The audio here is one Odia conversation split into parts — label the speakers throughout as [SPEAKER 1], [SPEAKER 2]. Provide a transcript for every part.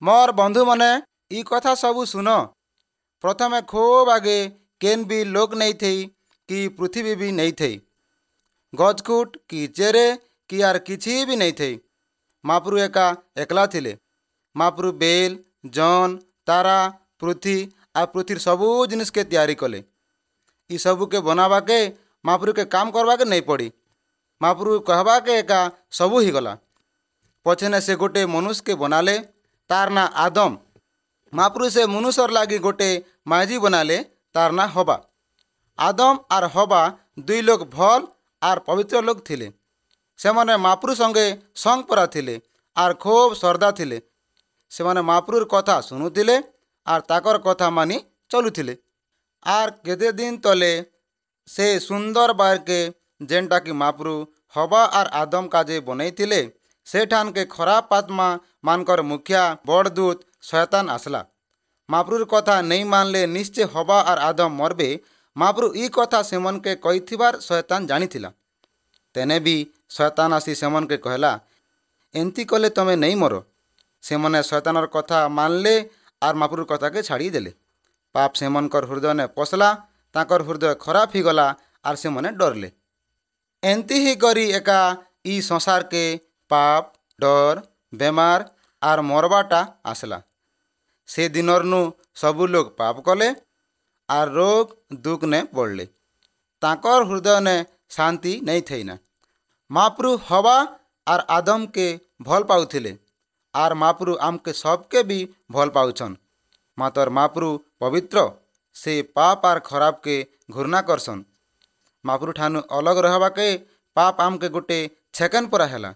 [SPEAKER 1] ମୋର ବନ୍ଧୁମାନେ, ଇ କଥା ସବୁ ଶୁନ। ପ୍ରଥମେ ଖୁବ୍ ଆଗେ କେନ୍ ବି ଲୋକ୍ ନେଇଥେଇ କି ପୃଥିବୀ ବି ନେଇଥେଇ, ଗଛକୁଟ କି ଚେରେ କି ଆର୍ କିଛି ବି ନେଇଥେଇ। ମାପ୍ରୁ ଏକା ଏକଲା ଥିଲେ। ମାପ୍ରୁ ବେଲ୍, ଜନ୍, ତାରା, ପୃଥ୍ୱୀ ଆର୍ ପୃଥ୍ୱୀର ସବୁ ଜିନିଷ୍କେ ତିଆରି କଲେ। ଇ ସବୁକେ ବନାବାକେ ମାପ୍ରୁକେ କାମ୍ କର୍ବାକେ ନେଇ ପଡ଼ି। ମାପ୍ରୁ କହେବାକେ ଏକା ସବୁ ହେଇଗଲା। ପଛେନେ ସେ ଗୋଟେ ମନୁଷ୍କେ ବନାଲେ, ତାର୍ ନାଁ ଆଦମ। ମାପ୍ରୁ ସେ ମନୁଷର ଲାଗି ଗୋଟେ ମାଇଜି ବନାଲେ, ତାର୍ ନାଁ ହବା। ଆଦମ ଆର୍ ହବା ଦୁଇ ଲୋକ୍ ଭଲ୍ ଆର୍ ପବିତ୍ର ଲୋକ୍ ଥିଲେ। ସେମାନେ ମାପ୍ରୁ ସଙ୍ଗେ ସଙ୍ଗ୍ ପରା ଥିଲେ ଆର୍ ଖୁବ୍ ଶ୍ରଦ୍ଧା ଥିଲେ। ସେମାନେ ମାପ୍ରୁର କଥା ଶୁଣୁଥିଲେ ଆର୍ ତାକର୍ କଥା ମାନି ଚଲୁଥିଲେ। ଆର୍ କେତେ ଦିନ୍ ତଲେ ସେ ସୁନ୍ଦର ବାର୍କେ, ଯେନ୍ଟାକି ମାପ୍ରୁ ହବା ଆର୍ ଆଦମ କାଜେ ବନେଇଥିଲେ, ସେଠାନ୍କେ ଖରାପ ଆତ୍ମା ମାନଙ୍କର ମୁଖିଆ ବଡ଼ ଦୂତ ଶୟତାନ ଆସିଲା। ମାପ୍ରୁର କଥା ନେଇ ମାନଲେ ନିଶ୍ଚୟ ହବା ଆର୍ ଆଦମ ମରବେ। ମାପ୍ରୁ ଇ କଥା ସେମାନକେ କହିଥିବାର ଶୟତାନ ଜାଣିଥିଲା। ତେନେ ବି ଶୟତାନ ଆସି ସେମାନକେ କହିଲା, ଏନ୍ତି କଲେ ତମେ ନେଇ ମର। ସେମାନେ ଶୟତାନର କଥା ମାନଲେ ଆର୍ ମାପ୍ରୁର କଥାକେ ଛାଡ଼ିଦେଲେ। ପାପ ସେମାନଙ୍କର ହୃଦୟନେ ପଶଲା, ତାଙ୍କର ହୃଦୟ ଖରାପ ହେଇଗଲା ଆର୍ ସେମାନେ ଡରଲେ। ଏନ୍ତି ହି କରି ଏକା ଇ ସଂସାରକେ ପାପ, ଡର, ବେମାର ଆର୍ ମରବାଟା ଆସିଲା। ସେ ଦିନର୍ନୁ ସବୁ ଲୋକ୍ ପାପ କଲେ ଆର୍ ରୋଗ ଦୁଃଖ ନେ ପଡ଼ଲେ। ତାଙ୍କର ହୃଦୟନେ ଶାନ୍ତି ନେଇ ଥେଇନା। ମାପ୍ରୁ ହବା ଆର୍ ଆଦମକେ ଭଲ୍ ପାଉଥିଲେ ଆର୍ ମାପ୍ରୁ ଆମକେ ସବକେ ବି ଭଲ୍ ପାଉଛନ୍। ମାତର୍ ମାପ୍ରୁ ପବିତ୍ର, ସେ ପାପ ଆର୍ ଖରାପକେ ଘୃଣା କରସନ୍। ମାପ୍ରୁ ଠାନୁ ଅଲଗ ରହବାକେ ପାପ ଆମକେ ଗୋଟେ ଛେକେନ୍ ପରା ହେଲା।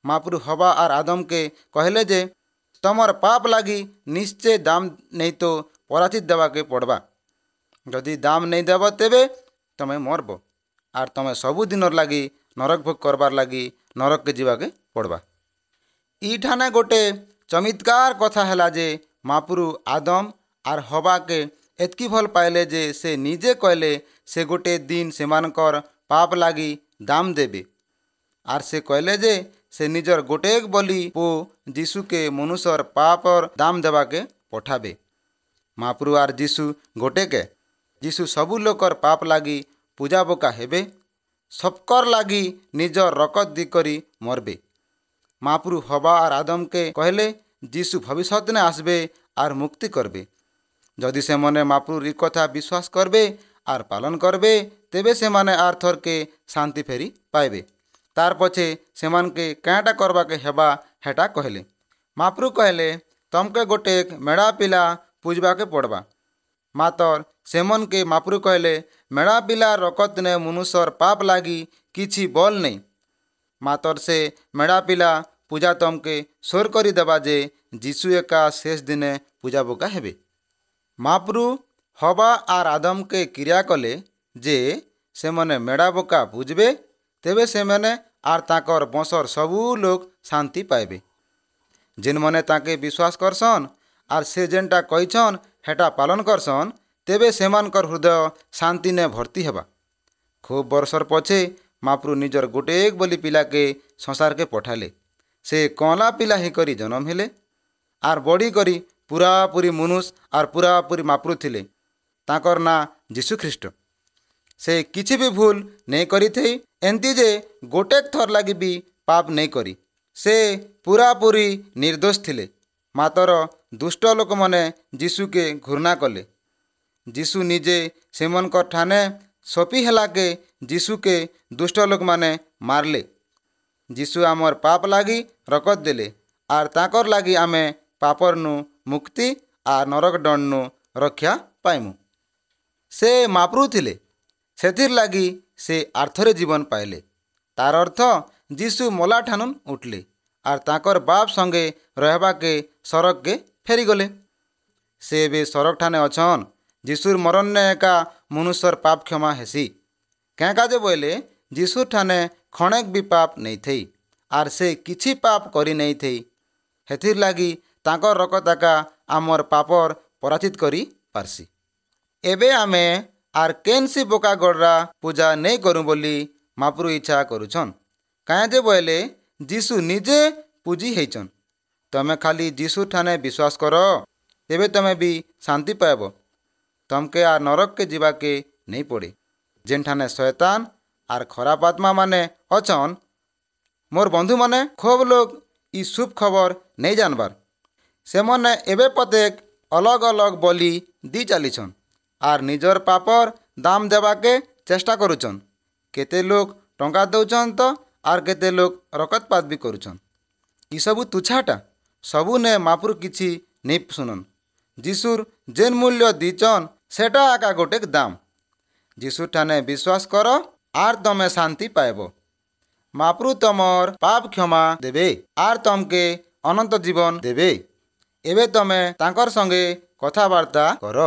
[SPEAKER 1] ମାପ୍ରୁ ହବା ଆର୍ ଆଦମକେ କହିଲେ ଯେ ତମର ପାପ ଲାଗି ନିଶ୍ଚୟ ଦାମ ନେଇ ତ ପରାଚିତ ଦେବାକେ ପଡ଼ବା। ଯଦି ଦାମ ନେଇ ଦେବ ତେବେ ତମେ ମରବ ଆର୍ ତମେ ସବୁଦିନର ଲାଗି ନରକ ଭୋଗ କରବାର୍ ଲାଗି ନରକକେ ଯିବାକେ ପଡ଼ବା। ଇଠାନେ ଗୋଟେ ଚମତ୍କାର କଥା ହେଲା ଯେ ମାପ୍ରୁ ଆଦମ ଆର୍ ହବାକେ ଏତ୍କି ଭଲ୍ ପାଇଲେ ଯେ ସେ ନିଜେ କହିଲେ ସେ ଗୋଟେ ଦିନ ସେମାନଙ୍କର ପାପ ଲାଗି ଦାମ ଦେବେ। ଆର୍ ସେ କହିଲେ ଯେ ସେ ନିଜର ଗୋଟେ ବଲି ପୁଅ ଯୀଶୁକେ ମନୁଷର ପାପର ଦାମ ଦେବାକେ ପଠାବେ। ମାପ୍ରୁ ଆର୍ ଯୀଶୁ ଗୋଟେକେ। ଯୀଶୁ ସବୁ ଲୋକର ପାପ ଲାଗି ପୂଜା ବୋକା ହେବେ, ସବକର ଲାଗି ନିଜର ରକତ ଦି କରି ମରବେ। ମାପ୍ରୁ ହବା ଆର୍ ଆଦମକେ କହିଲେ ଯୀଶୁ ଭବିଷ୍ୟତନେ আসবে ଆର୍ ମୁକ୍ତି କରବେ। ଯଦି ସେମାନେ ମାପ୍ରୁର ଇ କଥା ବିଶ୍ୱାସ କରବେ ଆର୍ ପାଲନ କରବେ, ତେବେ ସେମାନେ ଆର୍ ଥରକେ ଶାନ୍ତି ଫେରି ପାଇବେ। ତାର୍ ପଛେ ସେମାନକେ କାଁଟା କରବାକେ ହେବା ହେଟା କହିଲେ। ମାପ୍ରୁ କହିଲେ ତମକେ ଗୋଟେ ମେଢ଼ା ପିଲା ପୂଜବାକେ ପଡ଼ବା। ମାତର୍ ସେମନକେ ମାପ୍ରୁ କହିଲେ ମେଢ଼ା ପିଲା ରକତନେ ମନୁଷର ପାପ ଲାଗି କିଛି ବଲ୍ ନେଇ। ମାତର୍ ସେ ମେଢ଼ା ପିଲା ପୂଜା ତମକେ ସୋର କରିଦେବା ଯେ ଯୀଶୁ ଏକା ଶେଷ ଦିନେ ପୂଜା ବୋକା ହେବେ। ମାପ୍ରୁ ହବା ଆର୍ ଆଦମକେ କ୍ରିୟା କଲେ ଯେ ସେମାନେ ମେଢ଼ା ବୋକା ପୂଜବେ, ତେବେ ସେମାନେ ଆର୍ ତାକର୍ ବଂଶର ସବୁ ଲୋକ୍ ଶାନ୍ତି ପାଇବେ। ଯେନ୍ମାନେ ତାକେ ବିଶ୍ୱାସ କରସନ୍ ଆର୍ ସେ ଯେନ୍ଟା କହିଛନ୍ ହେଟା ପାଲନ କରସନ୍, ତେବେ ସେମାନଙ୍କର ହୃଦୟ ଶାନ୍ତିନେ ଭର୍ତ୍ତି ହେବା। ଖୁବ୍ ବର୍ଷର ପଛେ ମାପ୍ରୁ ନିଜର ଗୋଟେ ବୋଲି ପିଲାକେ ସଂସାରକେ ପଠାଲେ। ସେ କଅଁଲା ପିଲା ହେଇକରି ଜନମ ହେଲେ ଆର୍ ବଢ଼ି କରି ପୁରାପୁରି ମନୁଷ ଆର୍ ପୁରାପୁରି ମାପ୍ରୁ ଥିଲେ। ତାକର୍ ନାଁ ଯୀଶୁ ଖ୍ରୀଷ୍ଟ। ସେ କିଛି ବି ଭୁଲ ନେଇ କରିଥେଇ, ଏନ୍ତି ଯେ ଗୋଟେ ଥର ଲାଗି ବି ପାପ ନେଇ କରି। ସେ ପୁରାପୁରି ନିର୍ଦ୍ଦୋଷ ଥିଲେ। ମାତର ଦୁଷ୍ଟ ଲୋକମାନେ ଯୀଶୁକେ ଘୃଣା କଲେ। ଯୀଶୁ ନିଜେ ସେମାନଙ୍କର ଠାନେ ସପି ହେଲାକେ ଯୀଶୁକେ ଦୁଷ୍ଟ ଲୋକମାନେ ମାରଲେ। ଯୀଶୁ ଆମର୍ ପାପ ଲାଗି ରକତ ଦେଲେ ଆର୍ ତାକର୍ ଲାଗି ଆମେ ପାପର୍ନୁ ମୁକ୍ତି ଆର୍ ନରକ ଦଣ୍ଡନୁ ରକ୍ଷା ପାଇମୁ। ସେ ମାପ୍ରୁ ଥିଲେ, ସେଥିର୍ ଲାଗି ସେ ଆର୍ଥରେ ଜୀବନ ପାଇଲେ। ତାର୍ ଅର୍ଥ ଯୀଶୁ ମଲା ଠାନୁନ୍ ଉଠଲେ ଆର୍ ତାକର୍ ବାପ ସଙ୍ଗେ ରହବାକେ ସରଗକେ ଫେରିଗଲେ। ସେ ଏବେ ସରଗ ଠାନେ ଅଛନ୍। ଯୀଶୁର ମରଣନେ ଏକା ମନୁଷ୍ୟର ପାପ କ୍ଷମା ହେସି। କେଁ କାଜେ ବୋଇଲେ ଯୀଶୁର ଠାନେ ଖଣେକ ବି ପାପ ନେଇଥେଇ ଆର୍ ସେ କିଛି ପାପ କରି ନେଇଥେଇ। ହେଥିର୍ ଲାଗି ତାକର୍ ରକତ ଏକା ଆମର୍ ପାପର ପରାଚିତ କରି ପାରସି। ଏବେ ଆମେ ଆର୍ କେନ୍ସି ବୋକା ଗଡ଼ରା ପୂଜା ନେଇ କରୁ ବୋଲି ମାପ୍ରୁ ଇଚ୍ଛା କରୁଛନ୍। କାଏଁ ଯେ ବୋଇଲେ ଯୀଶୁ ନିଜେ ପୂଜି ହେଇଛନ୍। ତମେ ଖାଲି ଯୀଶୁ ଠାନେ ବିଶ୍ୱାସ କର, ତେବେ ତମେ ବି ଶାନ୍ତି ପାଇବ। ତମକେ ଆର୍ ନରକକେ ଯିବାକେ ନେଇ ପଡ଼େ, ଯେନ୍ଠାନେ ଶୟତାନ ଆର୍ ଖରାପ ଆତ୍ମା ମାନେ ଅଛନ୍। ମୋର୍ ବନ୍ଧୁମାନେ, ଖୋବ୍ ଲୋକ୍ ଇ ଶୁଭ ଖବର ନେଇ ଜାନବାର୍। ସେମାନେ ଏବେ ପତେକ ଅଲଗ ଅଲଗ ବଲି ଦି ଚାଲିଛନ୍ ଆର୍ ନିଜର ପାପର ଦାମ ଦେବାକେ ଚେଷ୍ଟା କରୁଛନ୍। କେତେ ଲୋକ୍ ଟଙ୍କା ଦଉଛନ୍ ତ ଆର୍ କେତେ ଲୋକ୍ ରକତପାତ ବି କରୁଛନ୍। ଇସବୁ ତୁଛାଟା ସବୁ ନେ ମାପୁର କିଛି ନେଇ ଶୁନନ୍। ଯୀଶୁର ଯେନ୍ ମୂଲ୍ୟ ଦିଚନ୍ ସେଟା ଏକା ଗୋଟେ ଦାମ। ଯୀଶୁ ଠାନେ ବିଶ୍ୱାସ କର ଆର୍ ତମେ ଶାନ୍ତି ପାଇବ। ମାପ୍ରୁ ତମର ପାପ କ୍ଷମା ଦେବେ ଆର୍ ତମକେ ଅନନ୍ତ ଜୀବନ ଦେବେ। ଏବେ ତମେ ତାଙ୍କର ସଙ୍ଗେ କଥାବାର୍ତ୍ତା କର।